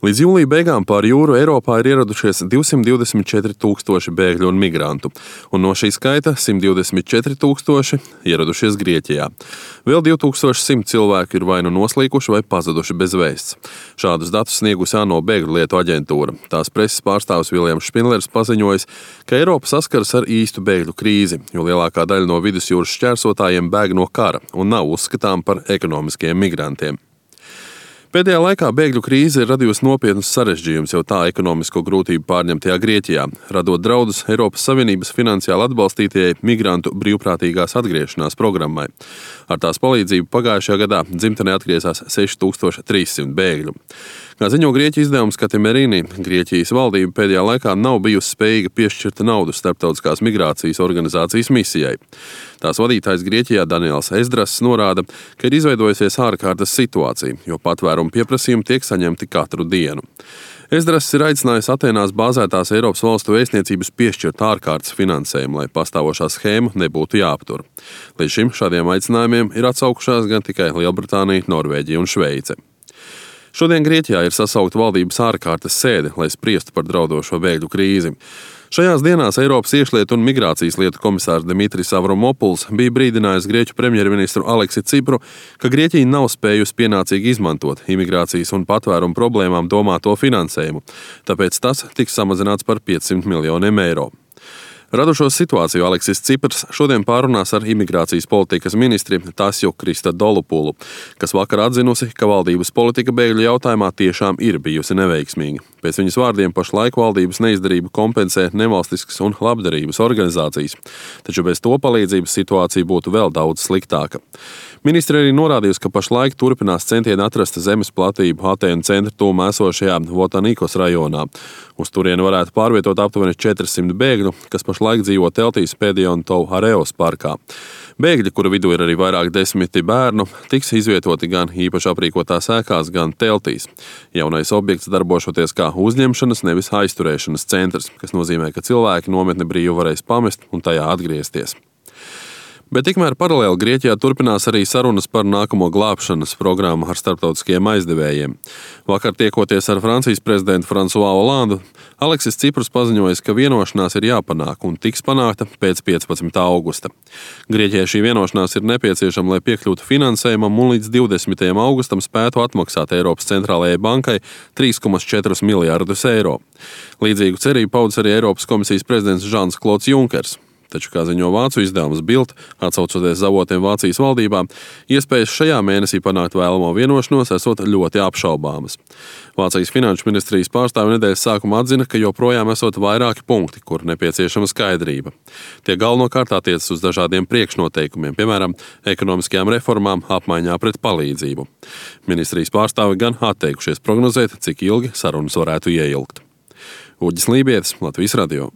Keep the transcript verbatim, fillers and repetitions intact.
Līdz jūlija beigām pāri jūru Eiropā ir ieradušies divsimt divdesmit četri tūkstoši bēgļu un migrantu, un no šī skaita simt divdesmit četri tūkstoši ieradušies Grieķijā. Vēl divi tūkstoši simt cilvēku ir vai nu noslīkuši vai pazuduši bez vēsts. Šādus datus sniegusi ANO bēgļu lietu aģentūra. Tās preses pārstāvis Viljams Špindlers paziņojis, ka Eiropa saskaras ar īstu bēgļu krīzi, jo lielākā daļa no vidusjūras šķērsotājiem bēg no kara un nav uzskatām par ekonomiskiem migrantiem. Pēdējā laikā bēgļu krīze ir radījusi nopietnus sarežģījumus jau tā ekonomisko grūtību pārņemtajā Grieķijā, radot draudus Eiropas Savienības finansiāli atbalstītajai migrantu brīvprātīgās atgriešanās programmai. Ar tās palīdzību pagājušajā gadā dzimtenē atgriezās seši tūkstoši trīs simti bēgļu. Kā ziņo Grieķu izdevums Katimerīni, Grieķijas valdība pēdējā laikā nav bijusi spējīga piešķirt naudu starptautiskās migrācijas organizācijas misijai. Tās vadītājs Grieķijā Daniels Ezdrass norāda, ka ir izveidojusies ārkārtas situācija, jo patvērumu pieprasījumi tiek saņemti katru dienu. Ezdrass ir aicinājis Atēnās bāzētās Eiropas valstu vēstniecības piešķirt ārkārtas finansējumu, lai pastāvošā schēma nebūtu jāaptur. Līdz šim šādiem aicinājumiem ir atsaukušās gan tikai Lielbritānija, Norvēģija un Šveice. Šodien Grieķijā ir sasaukta valdības ārkārtas sēde, lai spriestu par draudošo bēgļu krīzi. Šajās dienās Eiropas iekšlietu un migrācijas lietu komisārs Dimitris Avramopuls bija brīdinājis Grieķu premjerministru Aleksi Cipru, ka Grieķija nav spējusi pienācīgi izmantot imigrācijas un patvērumu problēmām domāto finansējumu, tāpēc tas tiks samazināts par piecsimt miljoniem eiro. Radušos situāciju Aleksis Ciprs šodien pārunās ar imigrācijas politikas ministri Tasju Kristodolupulu, kas vakar atzinusi, ka valdības politika bēgļu jautājumā tiešām ir bijusi neveiksmīga. Pēc viņas vārdiem pašlaik valdības neizdarību kompensē nevalstiskas un labdarības organizācijas, taču bez to palīdzības situācija būtu vēl daudz sliktāka. Ministri arī norādījusi, ka pašlaik turpinās centieni atrast zemes platību Atēnu centra tūmā esošajā Votanikos rajonā. Uz turieni varētu pārvietot aptuveni četrsimt bēgļu, kas pašlaik dzīvo teltīs Pēdiontovu Areos parkā. Bēgļi, kuru vidū ir arī vairāk desmiti bērnu, tiks izvietoti gan īpaši aprīkotās ēkās, gan teltīs. Jaunais objekts darbošoties kā uzņemšanas, nevis aizturēšanas centrs, kas nozīmē, ka cilvēki nometni brīvi varēs pamest un tajā atgriezties. Bet tikmēr paralēli Grieķijā turpinās arī sarunas par nākamo glābšanas programmu ar starptautiskiem aizdevējiem. Vakar tiekoties ar Francijas prezidentu Fransuā Olandu, Aleksis Ciprs paziņojis, ka vienošanās ir jāpanāk un tiks panākta pēc piecpadsmitā augusta. Grieķijai šī vienošanās ir nepieciešama, lai piekļūtu finansējumam un līdz divdesmitajam augustam spētu atmaksāt Eiropas centrālajai bankai trīs komats četri miljardus eiro. Līdzīgu cerību paudis arī Eiropas komisijas prezidents Žans Klods Junkers. Taču, kā ziņo vācu izdevums Bild, atsaucoties uz avotiem Vācijas valdībā, iespējas šajā mēnesī panākt vēlamo vienošanos esot ļoti apšaubāmas. Vācijas finanšu ministrijas pārstāvi nedēļas sākumā atzina, ka joprojām esot vairāki punkti, kur nepieciešama skaidrība. Tie galvenokārt attiecas uz dažādiem priekšnoteikumiem, piemēram, ekonomiskajām reformām apmaiņā pret palīdzību. Ministrijas pārstāvi gan atteikušies prognozēt, cik ilgi sarunas varētu ieilgt. Uģis Lībietis, Latvijas radio.